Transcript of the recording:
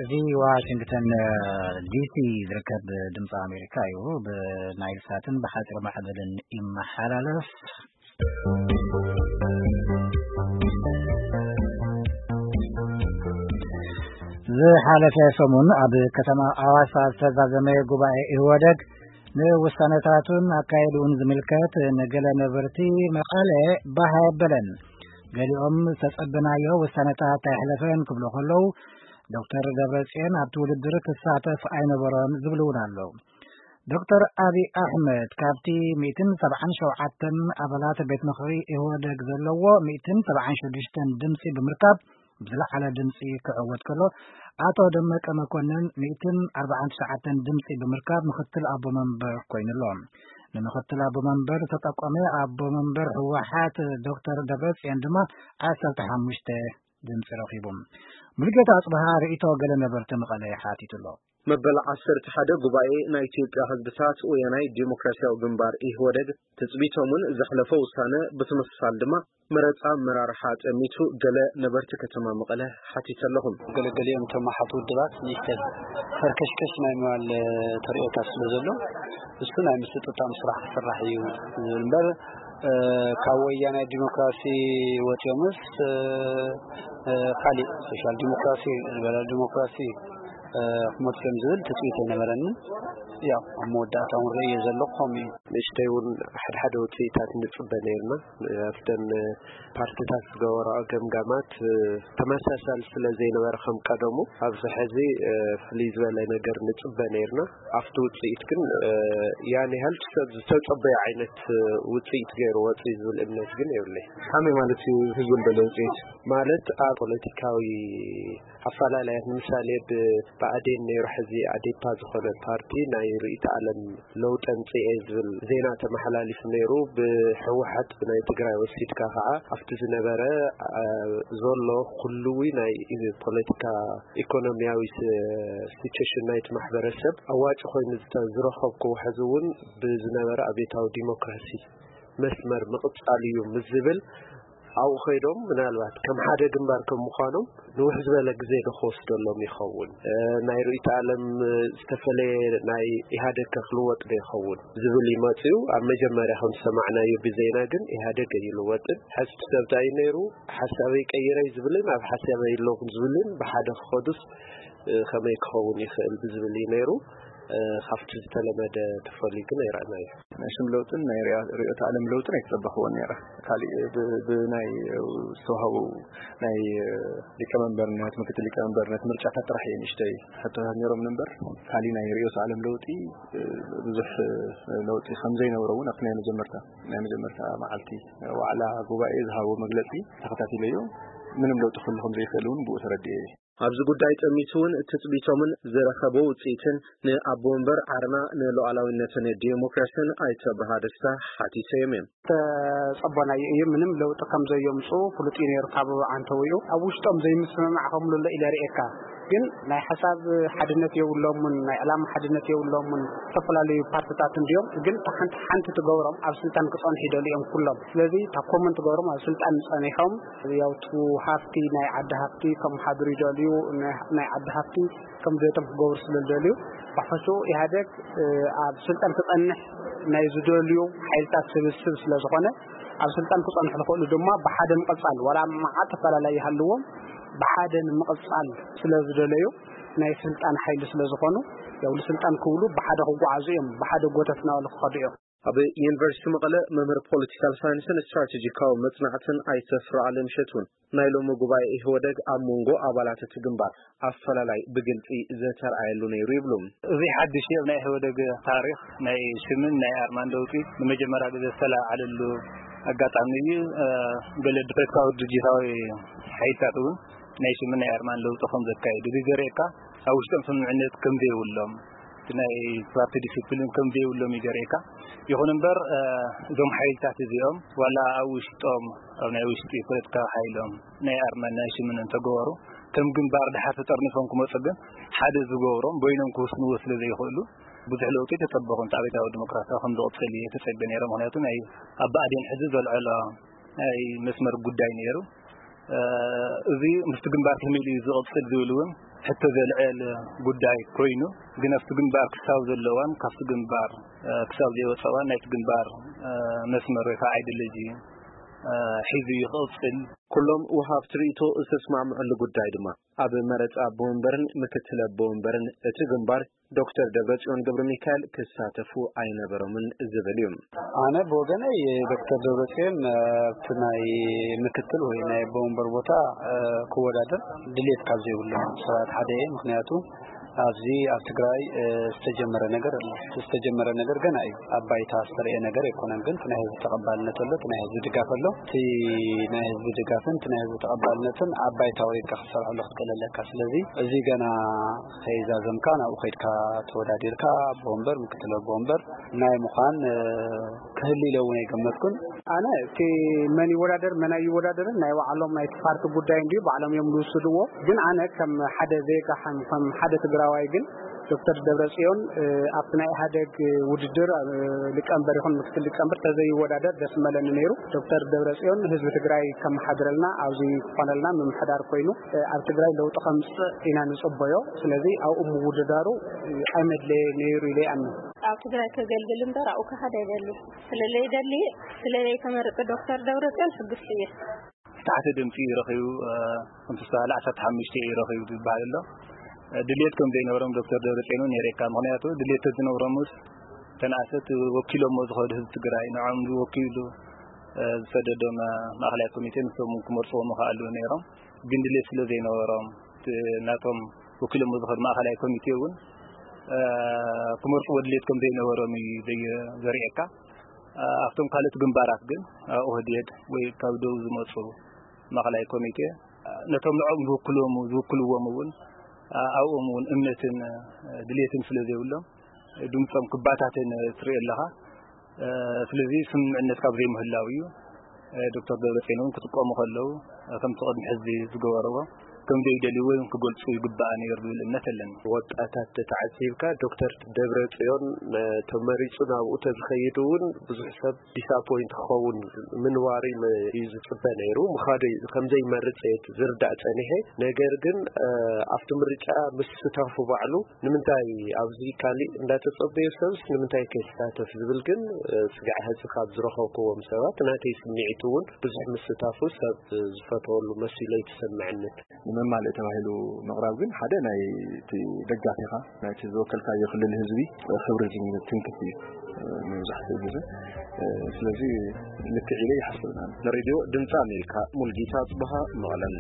እዚ ዋሽንግተን ዲሲ ዝርከብ ድምፂ ኣሜሪካ እዩ። ብናይል ሳትን ብሓፂር ማዕበልን ይመሓላለፍ። ዝሓለፈ ሰሙን ኣብ ከተማ ኣዋሳ ዝተዛዘመ ጉባኤ ኢህወደግ ንውሳነታቱን ኣካየድኡን ዝምልከት ንገለ ነበርቲ መቐለ ባህ ኣየበለን። ገሊኦም ዝተጸበናዮ ውሳነታት ኣይሕለፈን ክብሉ ከለዉ፣ ዶክተር ደብረጽዮን ኣብቲ ውድድር ክሳተፍ ኣይነበሮን ዝብሉ እውን ኣለዉ። ዶክተር ኣብይ ኣሕመድ ካብቲ ሚእትን ሰብዓን ሸውዓተን ኣባላት ቤት ምኽሪ ኢህወደግ ዘለዎ ሚእትን ሰብዓን ሽዱሽተን ድምፂ ብምርካብ ብዝለዓለ ድምፂ ክዕወት ከሎ፣ ኣቶ ደመቀ መኮንን ሚእትን ኣርባዓን ትሽዓተን ድምፂ ብምርካብ ምኽትል ኣቦ መንበር ኮይኑ ኣሎ። ንምኽትል ኣቦ መንበር ዝተጠቆመ ኣቦ መንበር ህወሓት ዶክተር ደብረፅዮን ድማ ዓሰርተ ሓሙሽተ ድምፂ ረኺቡ። ሙሉጌታ ኣፅብሃ ርእይቶ ገለ ነበርቲ መቐለ ሓቲቱ ኣሎ። መበል ዓሰርተ ሓደ ጉባኤ ናይ ኢትዮጵያ ህዝብታት ወያናይ ዲሞክራሲያዊ ግንባር ኢህወደግ ትጽቢቶምን ዘሕለፎ ውሳነ ብትምስሳል ድማ መረጻ ኣመራርሓ ጠሚቱ ገለ ነበርቲ ከተማ መቐለ ሓቲተ ኣለኹም። ገለገሊኦም እቶም ኣሓት ውድባት ንእሽተን ፈርከሽከሽ ናይ ምባል ተርእዮታት ስለ ዘሎ፣ እሱ ናይ ምስጥጣም ስራሕ ክስራሕ እዩ ዝብል እምበር፣ እ፣ ካብ ወያናይ ዲሞክራሲ ወፂኦምስ፣ እ፣ እ፣ ካሊእ ሶሻል ዲሞክራሲ፣ ሊበራል ዲሞክራሲ፣ እ፣ ክመፅኦም ዝብል ትፅቢት ኣይነበረንን። ያው ኣብ መወዳእታ እውን ርእየ ዘለኹ ከምኡ እዩ። ንእሽተይ እውን ሓድሓደ ውፅኢታት ንፅበ ነይርና። ኣብተን ፓርቲታት ዝገበረኦ ገምጋማት፣ እ፣ ተመሳሳሊ ስለ ዘይነበረ ከም ቀደሙ ኣብዚ ሕዚ፣ እ፣ ፍልይ ዝበለ ነገር ንፅበ ነይርና። ኣብቲ ውፅኢት ግን፣ እ፣ ያን ያህል ሰብ ዝተፀበዮ ዓይነት፣ እ፣ ውፅኢት ገይሩ ወፂኡ ዝብል እምነት ግን የብለይ። ከመይ ማለት እዩ ህዝቢ ዝበለ ውፅኢት? ማለት ኣብ ፖለቲካዊ ኣፈላላያት ንምሳሌ ብብኣዴን ነይሩ፣ ሕዚ ኣዴፓ ዝኾነ ፓርቲ ናይ ርእይተ ዓለም ለውጢ ኣምፅኤ ዝብል ዜና ተመሓላሊፉ ነይሩ። ብህወሓት ብናይ ትግራይ ወሲድካ ከዓ ኣብቲ ዝነበረ፣ አ፣ ዘሎ ኩልዊ ናይ ፖለቲካ ኢኮኖሚያዊ ስ-፣ ሲቹዌሽን ናይቲ ማሕበረሰብ ኣዋጭ ኮይኑ ዝተ-፣ ዝረኸብክዎ ሕዚ እውን ብዝነበረ ኣብዮታዊ ዲሞክራሲ መስመር ምቕፃል እዩ ምስ ዝብል ኣብኡ ከይዶም ምናልባት ከም ሓደ ግንባር ከም ምዃኖም ንውሕ ዝበለ ግዜ ዶ ክወስደሎም ይኸውን? እ፣ ናይ ርእይቶ ዓለም፣ እ፣ ዝተፈለየ ናይ ኢህኣደግ ከ ክልወጥ ዶ ይኸውን ዝብል ይመፅኡ። ኣብ መጀመርያ ከም ዝሰማዕናዮ ብዜና ግን ኢህኣደግ ኣይልወጥን። ሕዚ እቲ ሰብ እንታይ እዩ ነይሩ? ሓሳበይ ቀይረይ ዝብልን ኣብ ሓሳበይ ኣለኹን ዝብልን ብሓደ ክኸዱስ፣ እ፣ ከመይ ክኸውን ይኽእል ብዝብል እዩ ነይሩ። እ፣ ካብቲ ዝተለመደ ተፈልዩ ግን ኣይረኣናዮ። ናይ ሽም ለውጥን ናይ ርያ-፣ ርዕዮተ ዓለም ለውጥን ኣይተጸበኽዎን ነይረ። ካሊእ ብ-፣ ብናይ ዝተዋህቡ ናይ ሊቀመንበርነት፣ ምክትል ሊቀመንበርነት ምርጫታት ጥራሕ እየ ንእሽተይ ሕቶታት ነይሮም እምበር፣ ካሊእ ናይ ርዕዮተ ዓለም ለውጢ ብዙሕ ለውጢ ከም ዘይነበሮ እውን ኣብቲ ናይ መጀመርታ፣ ናይ መጀመርታ መዓልቲ ዋዕላ ጉባኤ ዝሃቦ መግለጺ ተኸታቲለዮ። ምንም ለውጢ ክህሉ ከም ዘይክእል እውን ብኡ ተረዲኤ እየ። ኣብዚ ጉዳይ ጠሚቱ እውን ትጽቢቶምን ዝረኸቦ ውጽኢትን ንኣቦ ወንበር ዓርና ንሉዓላዊነትን ዲሞክራስን ኣይተ ብርሃ ደስታ ሓቲሰዮም እዮም። ተጸበናዮ እዩ። ምንም ለውጢ ከም ዘየምጽኡ ፍሉጥ እዩ ነይሩ ካብ ዓንተውኡ። ኣብ ውሽጦም ዘይምስምማዕ ከም ዘሎ ኢለ ርእየካ። ግን ናይ ሓሳብ ሓድነት የብሎምን፣ ናይ ዕላማ ሓድነት የብሎምን። ዝተፈላለዩ ፓርትታት እንድዮም፣ ግን እታ ሓንቲ ሓንቲ ትገብሮም ኣብ ስልጣን ክጸንሑ ይደልዩ እዮም ኩሎም። ስለዚ እታ ኮመን ትገብሮም ኣብ ስልጣን ጸኒሖም፣ ያው እቲ ሃፍቲ ናይ ዓዲ ሃፍቲ ከመሓድሩ ይደልዩ፣ ናይ፣ ናይ ዓዲ ሃፍቲ ከም ድሌቶም ክገብሩ ስለ ዝደልዩ፣ ብሓፈሽኡ ኢህኣደግ፣ እ፣ ኣብ ስልጣን ክጸንሕ ናይ ዝደልዩ ሓይልታት ስብስብ ስለ ዝኾነ፣ ኣብ ስልጣን ክጸንሑ ዝኽእሉ ድማ ብሓደ ምቕጻል፣ ዋላ መዓት ኣፈላላይ ይሃልዎም፣ ብሓደ ንምቕጻል ስለ ዝደለዩ፣ ናይ ስልጣን ሓይሊ ስለ ዝኾኑ፣ ያው ንስልጣን ክብሉ ብሓደ ክጓዓዙ እዮም፣ ብሓደ ጎተት እናበሉ ክኸዱ እዮም። ኣብ ዩኒቨርሲቲ መቐለ መምህር ፖለቲካል ሳይንስን ስትራቴጂካዊ መጽናዕትን ኣይተ ፍርዓለም እሸቱን፣ ናይ ሎሚ ጉባኤ ኢህወደግ ኣብ መንጎ ኣባላት እቲ ግንባር ኣፈላላይ ብግልጺ ዘተርኣየሉ ነይሩ ይብሉ። እዚ ሓድሽ እዩ ኣብ ናይ ኢህወደግ ታሪኽ፣ ናይ ሽምን ናይ ኣርማን ለውጢ ንመጀመርያ ግዜ ዝተለዓዓለሉ ኣጋጣሚ እዩ። እ፣ ገለ ድሕሪት ካብ ድርጅታዊ ሓይልታት እውን ናይ ሽምን ናይ ኣርማን ለውጢ ከም ዘካየዱ እዚ ዘርእየካ፣ ኣብ ውሽጦም ስምምዕነት ከም ዘይብሎም፣ እቲ ናይ ፓርቲ ዲሲፕሊን ከም ዘይብሎም እዩ ዘርእየካ። ይኹን እምበር፣ እ፣ እዞም ሓይልታት እዚኦም ዋላ ኣብ ውሽጦም፣ ኣብ ናይ ውሽጢ ፖለቲካዊ ሓይሎም ናይ ኣርማን ናይ ሽምን እንተገበሩ፣ ከም ግንባር ድሓር ተጠርኒፎም ክመጹ ግን ሓደ ዝገብሮም በይኖም ክውስንዎ ስለ ዘይኽእሉ፣ ብዙሕ ለውጢ ተጸበኹም። እቲ ኣብዮታዊ ዲሞክራሲያዊ ከም ዝቕጽል እየ ተጸብየ ነይረ። ምኽንያቱ ናይ ኣብ ብኣዴን ሕዚ ዘልዐሎ ናይ መስመር ጉዳይ ነይሩ። እ፣ እዚ ምስቲ ግንባር ከመይ ኢሉ እዩ ዝቕጽል ዝብል እውን ሕቶ ዘልዕል ጉዳይ ኮይኑ፣ ግን ኣብቲ ግንባር ክሳብ ዘለዋን ካብቲ ግንባር ክሳብ ዘይወፀዋን ናይቲ ግንባር መስመር ወይ ከዓ ኣይዲዮሎጂ ሒዙ ይቕፅል። ኩሎም ወሃብቲ ርእይቶ ዝተስማምዐሉ ጉዳይ ድማ ኣብ መረፃ ኣቦ ወንበርን ምክትል ኣቦ ወንበርን እቲ ግንባር ዶክተር ደብረፅዮን ገብረ ሚካኤል ክሳተፉ ኣይነበሮምን ዝብል እዩ። ኣነ ብወገነይ ዶክተር ደብረፅዮን ኣብቲ ናይ ምክትል ወይ ናይ ኣቦ ወንበር ቦታ ክወዳደር ድሌት ካብ ዘይብሉ ሰባት ሓደ እየ። ምክንያቱ ኣብዚ ኣብ ትግራይ ዝተጀመረ ነገር ኣሎ። ዝተጀመረ ነገር ገና እዩ። ኣብ ባይታ ዝተረየ ነገር ኣይኮነን። ግን እቲ ናይ ህዝቢ ተቐባልነት ኣሎ፣ እቲ ናይ ህዝቢ ድጋፍ ኣሎ። እቲ ናይ ህዝቢ ድጋፍን እቲ ናይ ህዝቢ ተቐባልነትን ኣብ ባይታ ወሪድካ ክትሰርሐሉ ክትክእል ኣለካ። ስለዚ እዚ ገና ከይዛዘምካ ናብኡ ከይድካ ተወዳዲርካ ኣቦ ወንበር፣ ምክትል ኣቦ ወንበር ናይ ምዃን ክህሉ ኢለ እውን ኣይገመትኩን። ኣነ እቲ መን ይወዳደር መን ኣይወዳደርን ናይ ባዕሎም ናይ ፓርቲ ጉዳይ እንድዩ፣ ባዕሎም እዮም ዝውስድዎ። ግን ኣነ ከም ሓደ ዜጋ ከም ሓደ ትግራዋይ ግን ዶክተር ደብረፅዮን ኣብቲ ናይ ኢህኣደግ ውድድር ሊቀመንበር ይኹን ምክትል ሊቀመንበር ተዘይወዳደር ደስ መለኒ ነይሩ። ዶክተር ደብረፅዮን ህዝቢ ትግራይ ከመሓድረልና ኣብዚ ክኾነልና ምምሕዳር ኮይኑ ኣብ ትግራይ ለውጢ ከምፅእ ኢና ንፅበዮ። ስለዚ ኣብኡ ምውድዳሩ ኣይመድለየ ነይሩ ኢለ ይኣምን። ኣብ ትግራይ ከገልግል እምበር ኣብኡ ክኸድ ኣይደሊ። ስለለይደሊ ስለለይተመርፀ ዶክተር ደብረፅዮን ሕጉስቲ እየ። ዝተሓተ ድምፂ እዩ ረኺቡ። ከምቲ ዝተባሃለ ዓሰርተ ሓሙሽተ እዩ ረኺቡ ዝበሃል ኣሎ። ድሌት ከም ዘይነበሮም ዶክተር ደብረፅዮን እውን የርእየካ። ምክንያቱ ድሌት ተዝነብሮምስ ተንኣሰት ወኪሎሞ ዝኸዱ ህዝቢ ትግራይ ንዖም ወኪሉ ዝሰደዶም ማእኸላይ ኮሚቴ ንሶም ክመርፅዎ ምኽኣሉ ነይሮም። ግን ድሌት ስለ ዘይነበሮም ናቶም ወኪሎሞ ዝኸዱ ማእኸላይ ኮሚቴ እውን ክመርፅዎ ድሌት ከም ዘይነበሮም እዩ ዘርእየካ። ኣብቶም ካልኦት ግንባራት ግን ኦህዴድ ወይ ካብ ደቡብ ዝመፁ ማእኸላይ ኮሚቴ ነቶም ንዕኦም ዝውክልዎም ዝውክልዎም እውን ኣብኦም እውን እምነትን ድሌትን ስለ ዘይብሎም ድምፆም ክባታተን ትርኢ ኣለኻ። ስለዚ ስምምዕነት ካብ ዘይምህላው እዩ ዶክተር ደብረፅዮን እውን ክጥቀሙ ከለዉ ከምቲ ቅድሚ ሕዚ ዝገበርዎ ከም ዘይደልይዎ ክገልፁ ይግባእ ነይሩ ዝብል እምነት ኣለኒ። ወጣታት ተተዓዚብካ ዶክተር ደብረ ፅዮን ተመሪፁ ናብኡ ተዝኸይድ እውን ብዙሕ ሰብ ዲስኣፖይንት ክኸውን ምንባሩ እዩ ዝፅበ ነይሩ። ምኻዱ ከምዘይመርፅ ዝርዳእ ፀኒሐ። ነገር ግን ኣብቲ ምርጫ ምስታፉ ባዕሉ ንምንታይ ኣብዚ ካሊእ እንዳተፀበዮ ሰብስ ንምንታይ ከይሳተፍ ዝብል ግን ስጋዕ ሕዚ ካብ ዝረኸብክዎም ሰባት ናተይ ስምዒት እውን ብዙሕ ምስታፉ ሰብ ዝፈተወሉ መሲሉ ኣይተሰምዐንን። ንመማልእ ተባሂሉ ምቕራብ ግን ሓደ ናይ እቲ ደጋፊኻ ናይቲ ዝወከልካዮ ክልል ህዝቢ ክብሪ ዝትንክፍ እዩ መብዛሕትኡ ግዜ። ስለዚ ልክዕ ኢለ ይሓስብና። ንሬድዮ ድምፂ ኣሜሪካ ሙልጌታ ጽበሃ መቐለን።